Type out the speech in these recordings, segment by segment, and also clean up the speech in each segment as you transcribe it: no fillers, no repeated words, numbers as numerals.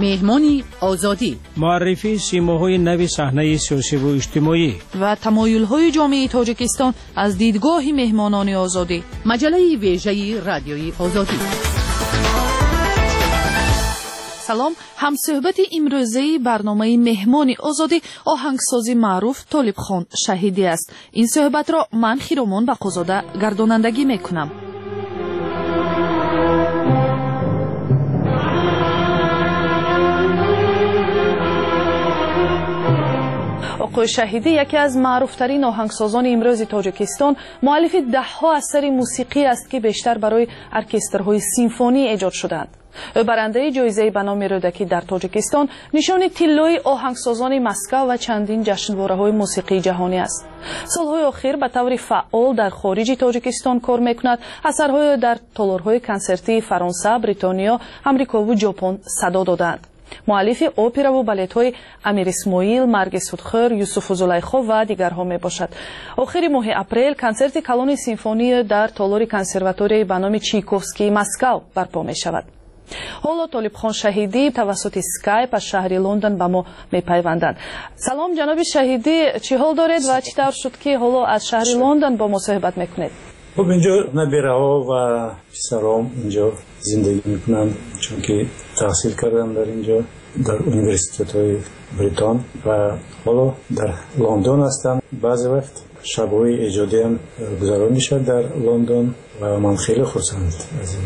Меҳмони Озодӣ, муаррифии симоҳои нави саҳнаи сиёсиву иҷтимоӣ ва тамоюлҳои ҷомеаи Тоҷикистон аз дидгоҳи меҳмонони Озодӣ. Маҷаллаи вежаи Радиои Озодӣ. Салом. Ҳамсӯҳбати имрӯзаи барномаи Меҳмони Озодӣ оҳангсози маъруф Толибхон Шаҳидӣ аст. Ин суҳбатро ман, Хиромон Бақозода, гардонандагӣ мекунам. Оқои Шаҳидӣ яке аз маъруфтарин оҳангсозони имрӯзи Тоҷикистон, муаллифи даҳҳо асари мусиқӣ аст, ки бештар барои оркестрҳои симфонӣ эҷод шудаанд. Ӯ барандаи ҷоизаи ба номи Рӯдакӣ дар Тоҷикистон, нишони тиллои оҳангсозони Москав ва чандин ҷашнвораҳои мусиқии ҷаҳонӣ аст. Солҳои охир ба таври фаъол дар хориҷи Тоҷикистон кор мекунад. Асарҳои ӯ дар толорҳои консертии Фаронса, Бритониё, Амрикову Ҷопон садо додаанд. Муаллифи операву балетҳои Амир Исмоил, Марги судхӯр, Юсуфу Зулайхо ва дигарҳо мебошад. Охири моҳи апрел консерти калони симфонии дар толори консерваторияи ба номи Чайковскии Москав барпо мешавад. Ҳоло Толибхон Шаҳидӣ тавассути скайп аз шаҳри Лондон ба мо мепайванданд. Салом, ҷаноби Шаҳидӣ, чӣ ҳол доред ва чӣ тавр шуд, ки ҳоло аз шаҳри Лондон бо мо суҳбат мекунед? Хуб, инҷо набираҳо ва писаром инҷо зиндагӣ мекунанд, чунки таҳсил кардам дар инҷо, дар университетҳои Бритон, ва ҳоло дар Лондон ҳастам. Баъзе вақт шабҳои эҷодиам гузаронӣ шуд дар Лондон ва ман хеле хурсанд аз ин.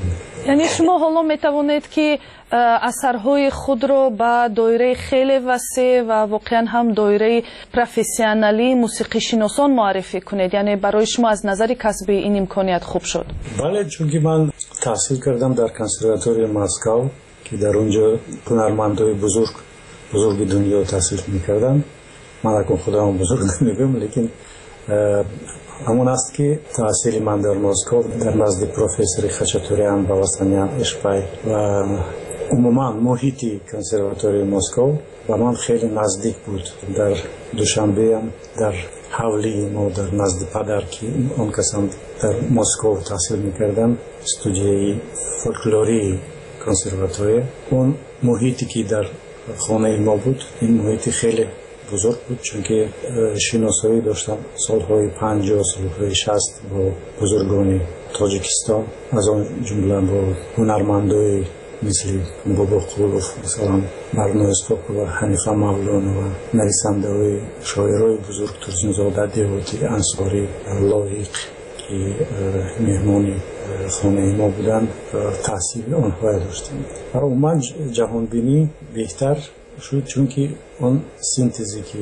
Яъне шумо ҳоло метавонед, ки асарҳои худро ба доираи хеле васеъ ва воқеан ҳам доираи профессионалии мусиқишиносон муаррифӣ кунед. Яъне барои шумо аз назари касбӣ ин имконият хуб шуд? Бале, чунки ман таҳсил кардам дар консерваторияи Москав, ки дар он ҷо ҳунармандои бузурги дунё таҳсил мекарданд. Ман акун худам бузург намегӯям, лекин ҳамон аст, ки таҳсили ман дар Москов дар назди профессори Хачатурян, Баласанян, Эшпай ва умуман муҳити консерваторияи Москов ба ман хеле наздик буд. Дар Душанбеам, дар ҳавлии мо, дар назди падар, ки он касам дар Москов таҳсил мекарданд, студияи фольклории консерватория, он муҳите ки дар хонаи мо буд, ин муҳити хеле бузург буд, чунки шиносоӣ доштам солҳои 50, солҳои 60 бо бузургони Тоҷикистон, аз он ҷумла бо ҳунармандои мисли Бобоқулов, масалан, Барно Исҳоқова, Ҳанифа Мавлонова, нависандаҳои шоирои бузург Турсунзода, Деҳотӣ, Ансорӣ, Лоиқ, ки меҳмони хонаи мо буданд, таъсири онҳое доштем. Ва умуман ҷаҳонбинӣ беҳтар шуд, чунки он синтезе ки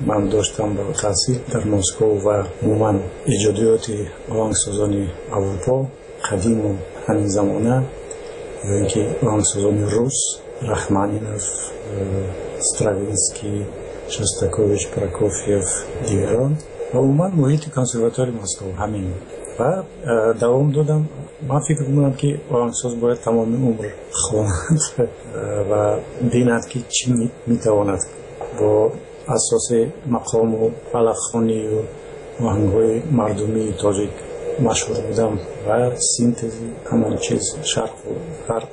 ман доштам ба таҳсил дар Москов ва умуман эҷодиёти оҳангсозони Аврупо қадиму ҳамин замона, ё ин ки оҳангсозони рус, Рахманинов, Стравинский, Шостакович, Прокофьев, дигарон, ва умуман муҳити консерваторияи Москов ҳамин ва давом додам. Ман фикр мекунам, ки оҳангсоз бояд тамоми умр хонад ва бинад, ки чӣ метавонад бо асоси мақому фалакхонию оҳангҳои мардумии тоҷик машҳур будам ва синтези ҳамон чиз, шарқу ғарб,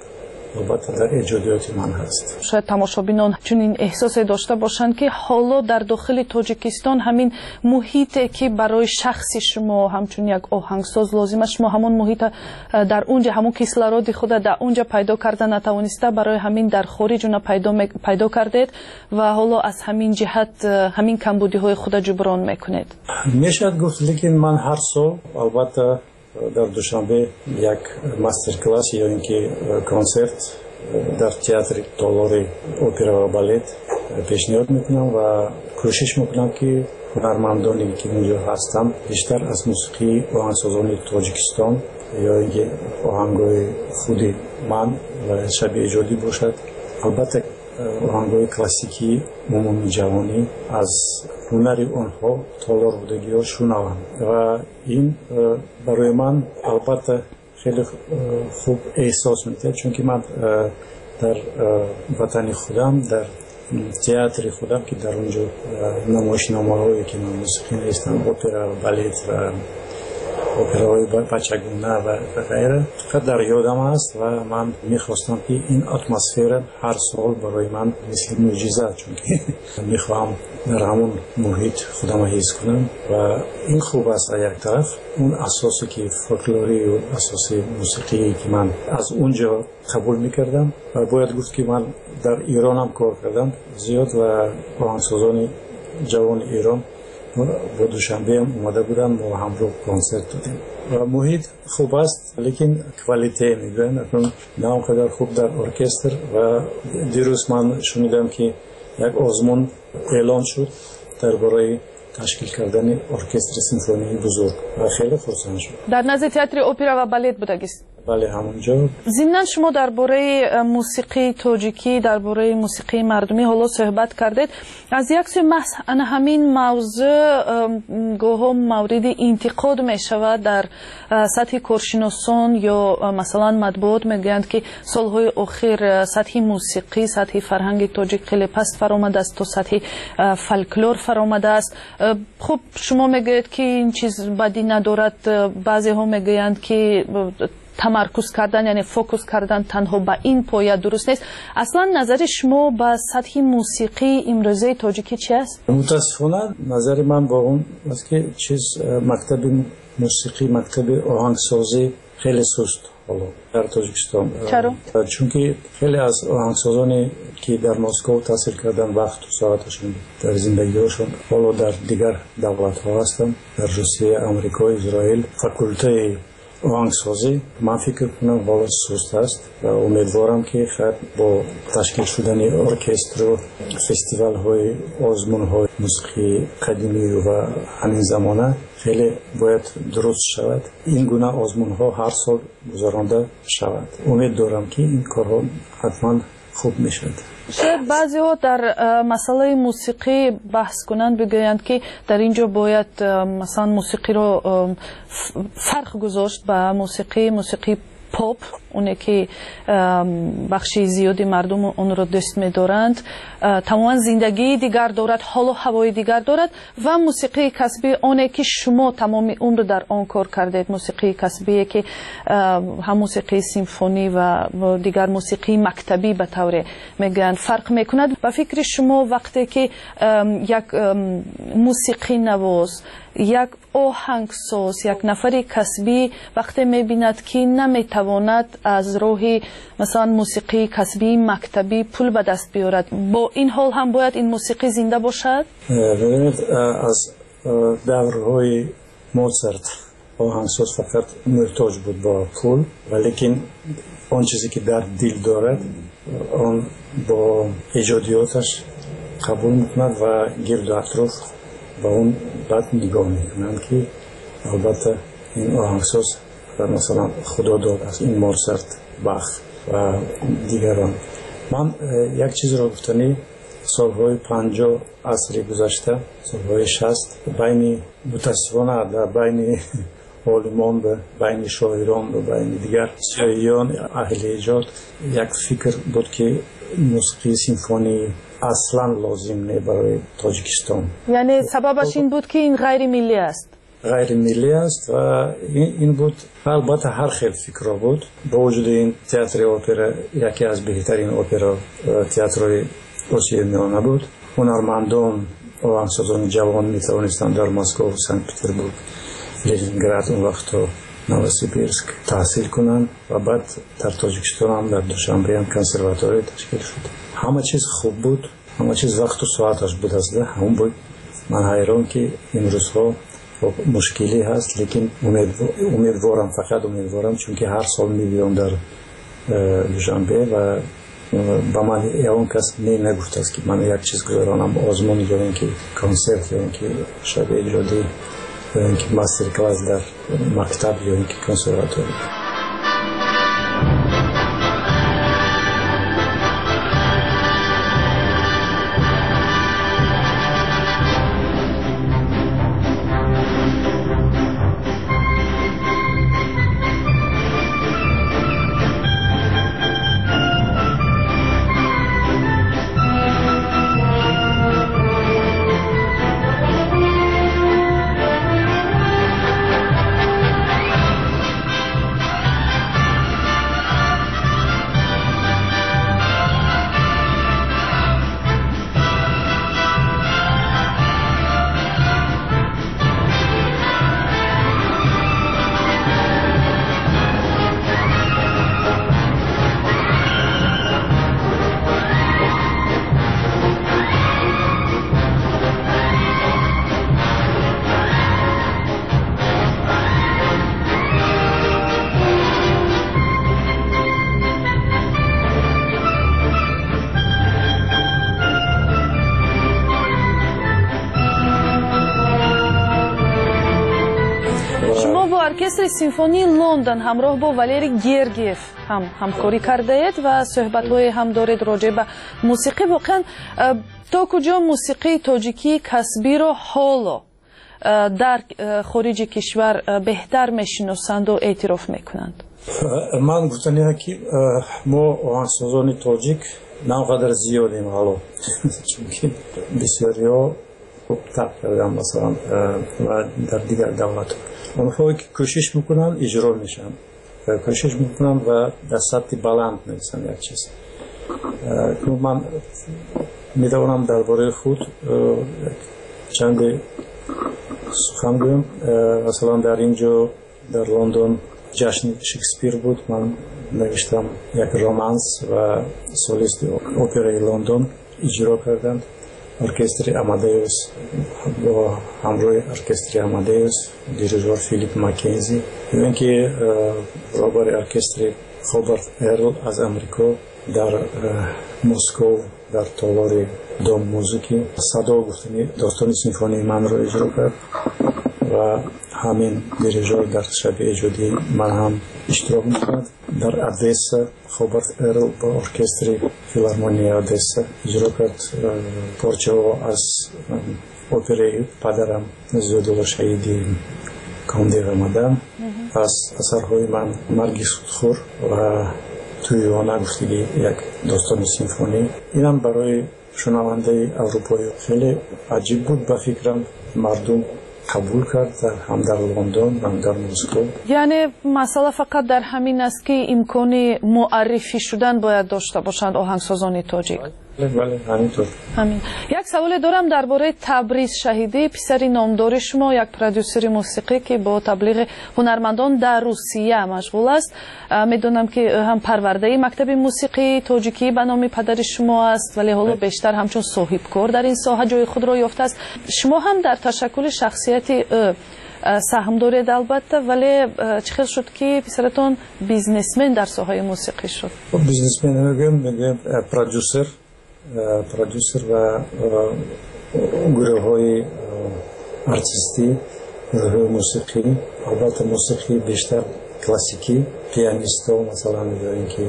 албатта дар эҷодиёти ман ҳаст. Шояд тамошобинон чунин эҳсосе дошта бошанд, ки ҳоло дар дохили Тоҷикистон ҳамин муҳите, ки барои шахси шумо ҳамчун як оҳангсоз лозим аст, шумо ҳамон муҳита дар унҷа, ҳамон кислороди худа дар унҷа пайдо карда натавониста, барои ҳамин дар хориҷ уна пайдо кардед ва ҳоло аз ҳамин ҷиҳат ҳамин камбудиҳои худа ҷуброн мекунед. Мешавад гуфт, лекин ман ҳар сол албатта дар Душанбе як мастер-класс ё ин ки консерт дар театри толори опера ва балет пешниҳод мекунам ва кӯшиш мекунам, ки ҳунармандоне ки унҷо ҳастанд, бештар аз мусиқии оҳангсозони Тоҷикистон ё ин ки оҳангҳои худи ман ва шаби эҷодӣ бошад, албатта оҳангҳои классикии умумии ҷаҳонӣ, аз ҳунари онҳо, толор будагиҳо шунаванд. Ва ин барои ман албатта хеле хуб эҳсос медиҳад, чунки ман дар ватани худам, дар театри худам, ки дар он ҷо намоишномаҳое ки ман мусиқӣ навистам, опера, балет ва операҳои бачагона ва ғайра фақат дар ёдам аст ва ман мехостам, ки ин атмосфера ҳар сол барои ман мисли мӯъҷиза, чунки мехоҳам дар ҳамон муҳит худамро ҳис кунам. Ва ин хуб аст аз як тараф, он асосе ки фольклорию асоси мусиқие ки ман аз он ҷо қабул мекардам. Ва бояд гуфт, ки ман дар Иронам кор кардам зиёд ва оҳангсозони ҷавони Эрон бо Душанбеам омада буданд, мо ҳамроҳ консерт додем ва муҳит хуб аст, лекин qualité мегӯянд, акнун на он қадар хуб дар оркестр. Ва дирӯз ман шунидам, ки як озмун эълон шуд дар бораи ташкил кардани оркестри симфонии бузург ва хеле хурсанд шуд. Дар назди театри опера ва балет будагист? Бале, ҳамонҷо. Зимнан шумо дар бораи мусиқии тоҷикӣ, дар бораи мусиқии мардумӣ ҳоло суҳбат кардед. Аз як сӯи, маҳз ана ҳамин мавзӯъ гоҳо мавриди интиқод мешавад дар сатҳи коршиносон ё масалан матбуот. Мегӯянд, ки солҳои охир сатҳи мусиқӣ, сатҳи фарҳанги тоҷик хеле паст фаромадааст, то сатҳи фольклор фаромадааст. Хуб, шумо мегӯед, ки ин чиз бадӣ надорад. Баъзеҳо мегӯянд, ки тамаркуз кардан, яъне фокус кардан танҳо ба ин поя дуруст нест. Аслан назари шумо ба сатҳи мусиқии имрӯзаи тоҷикӣ чи аст? Мутаассифона, назари ман бо он аст, ки чиз мактаби мусиқӣ, мактаби оҳангсозӣ хеле суст ҳоло дар Тоҷикистон. Чаро? Чунки хеле аз оҳангсозоне ки дар Москов таҳсил кардан, вақту соаташон дар зиндагиҳошон ҳоло дар дигар давлатҳо ҳастанд, дар Русия, Амрико, Израил. Факултаи оҳангсозӣ, ман фикр кунам, ҳоло суст аст ва умедворам, ки хайр, бо ташкил шудани оркестру фестивалҳои озмунҳои мусиқии қадимию ва ҳамин замона хеле бояд дуруст шавад, ин гуна озмунҳо ҳар сол гузаронда шавад. Умед дорам, ки ин корҳо ҳатман хуб мешавад. Шояд баъзеҳо дар масъалаи мусиқӣ баҳс кунанд, бигӯянд, ки дар ин ҷо бояд масалан мусиқиро фарқ гузошт ба мусиқии поп, оне ки бахши зиёди мардум онро дӯст медоранд, тамоман зиндагии дигар дорад, ҳолу ҳавои дигар дорад, ва мусиқии касбӣ, оне ки шумо тамоми умр дар он кор кардед, мусиқии касбие ки ҳам мусиқии симфонӣ ва дигар мусиқии мактабӣ ба тавре мегӯянд, фарқ мекунад. Ба фикри шумо, вақте ки як мусиқинавоз, як оҳангсоз, як нафари касбӣ вақте мебинад, ки наметавонад аз роҳи масалан мусиқии касбии мактабӣ пул ба даст биёрад, бо ин ҳол ҳам бояд ин мусиқӣ зинда бошад? Бибинед, аз даврҳои Моцарт оҳангсоз фақат муҳтоҷ буд ба пул, валекин он чизе ки дар дил дорад, он бо эҷодиёташ қабул мекунад ва гирду атроф ба он баъд нигоҳ мекунанд, ки албатта ин оҳангсоз масалан худо додааст, ин Моцарт, Бах ва дигарон. Ман як чизро гуфтанӣ: солҳои 50 асри гузашта, солҳои 60, байни, мутаассифона, дар байни олимон ва байни шоирон ва байни дигар зиёиён, аҳли эҷод як фикр буд, ки мусиқии симфонӣ аслан лозим не барои Тоҷикистон. Яъне сабабаш ин буд, ки ин ғайримиллӣ аст? Ғайримиллӣ аст ва ин буд. Албатта, ҳар хел фикрҳо буд. Бо вуҷуди ин, театри опера яке аз беҳтарин опера театрҳои Осиёи Миёна буд. Ҳунармандон, оҳангсозони ҷавон метавонистанд дар Москов, Санкт Петербург, Ленинград, он вақтҳо Новосибирск таҳсил кунанд ва баъд дар Тоҷикистонам, дар Душанбеам консерватория ташкил шуд. Ҳама чиз хуб буд, ҳама чиз вақту соаташ буд аст. Ҳамон буд. Ман ҳайрон, ки имрӯзҳо мушкилӣ ҳаст, лекин умедворам, фақат умедворам, чунки ҳар сол мебиём дар Душанбе ва ба ман ягон кас не нагуфтааст, ки ман як чиз гузаронам, озмун ё ин ки консерт, ё ин ки шаби эҷодӣ, ё ин ки мастер класс дар мактаб, ё ин ки консерватория. Оркестри симфонии Лондон ҳамроҳ бо Валерий Гергиев ҳам ҳамкорӣ кардаед ва суҳбатҳое ҳам доред роҷеъ ба мусиқӣ. Воқеан, то куҷо мусиқии тоҷикии касбиро ҳоло дар хориҷи кишвар беҳтар мешиносанду эътироф мекунанд? Ман гуфтаниам, ки мо оҳангсозони тоҷик на он қадар зиёдем ҳоло, чунки бисёриҳо тарк карданд, масалан, ва дар дигар давлатҳо. Онҳое ки кӯшиш мекунанд, иҷро мешаванд, кӯшиш мекунанд ва дар сатҳи баланд мерасанд. Як чиз, ман метавонам дар бораи худ чанде сухан гӯям. Масалан, дар ин ҷо, дар Лондон, ҷашни Шекспир буд. Ман навиштам як романс ва солисти операи Лондон иҷро карданд. Оркестри Амадеус, бо ҳамроҳи оркестри Амадеус, дирижор Филип Маккензи, ё ин ки роҳбари оркестри Хобарт Эрл аз Амрико дар Москов, дар толори Дом музыки, «Садо» гуфтани достони симфонии манро иҷро кард ва ҳамин дирижор дар шаби эҷодии ман ҳам иштирок мекунад. Дар Одесса Хобарт Эрл бо оркестри филармонияи Одесса иҷро кард порчаҳо аз операи падарам Зиёдулло Шаҳиди «Комдив омадам», аз асарҳои ман «Марги судхӯр» ва «Тӯйона» гуфтагӣ як достони симфонӣ. Инам барои шунавандаи аврупоӣ хеле аҷиб буд. Ба фикрам, мардум қабул кард ҳам дар Лондон, ҳам дар Москов. Яъне масъала фақат дар ҳамин аст, ки имкони муаррифӣ шудан бояд дошта бошанд оҳангсозони тоҷик. Бале, ҳаминтур. Ҳамин. Як саволе дорам дар бораи Табриз Шаҳидӣ, писари номдори шумо, як продюсери мусиқӣ, ки бо таблиғи ҳунармандон дар Русия машғул аст. Медонам, ки ҳам парвардаи мактаби мусиқии тоҷикӣ ба номи падари шумо аст, вале ҳоло бештар ҳамчун соҳибкор дар ин соҳа ҷои худро ёфтааст. Шумо ҳам дар ташаккули шахсияти ӯ саҳм доред, албатта, вале чӣ хел шуд, ки писаратон бизнесмен дар соҳаи мусиқӣ шуд? Бизнесмен намегӯем, мегӯем продюсер, продюсер ва гурӯҳҳои артистӣ, гурӯҳҳои мусиқӣ, албатта, мусиқии бештар классикӣ, пианистҳо, масалан, ё ин ки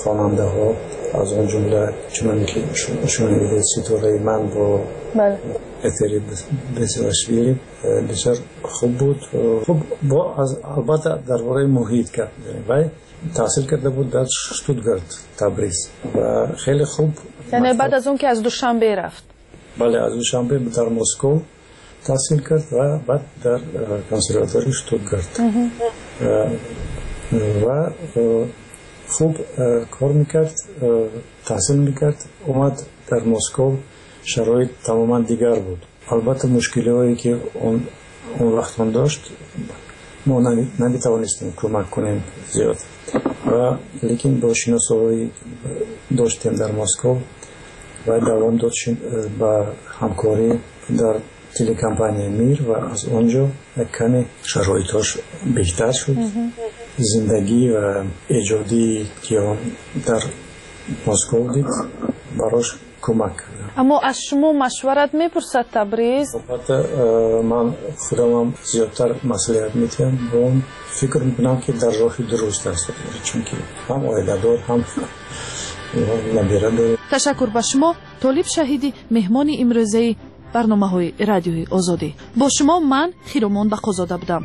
хонандаҳо, аз он ҷумла, чуноне ки шунидед, «Ситораи ман» бо Этери Бесилашвили бисёр хуб буд. Хуб, бо албатта дар бораи муҳит гап мезанем. Вай таҳсил карда буд дар Штутгарт Табриз ва хеле хуб. Яъне баъд аз он ки аз Душанбе рафт? Бале, аз Душанбе дар Москов таҳсил кард ва баъд дар консерватории Штутгарт ва хуб кор мекард, таҳсил мекард. Омад дар Москов, шароит тамоман дигар буд. Албатта, мушкилиҳое ки он вақт он дошт, мо наметавонистем кӯмак кунем зиёд, ва лекин бо шиносоҳое доштем дар Москов ва давом дод ба ҳамкорӣ дар телекомпанияи «Мир» ва аз он ҷо як каме шароитҳош беҳтар шуд. Зиндагӣ ва эҷодии ки он дар Москов дид, барош кӯмак кард. Аммо аз шумо машварат мепурсад Табриз? Албатта, ман худамам зиёдтар маслиҳат медиҳам бо он. Фикр мекунам, ки дар роҳи дуруст аст, чунки ҳам оиладор, ҳам набира дорем. Ташаккур ба шумо, Толиб Шаҳидӣ, меҳмони имрӯзаи барномаҳои Радиои Озодӣ. Бо шумо ман, Хиромон Бақозода, будам.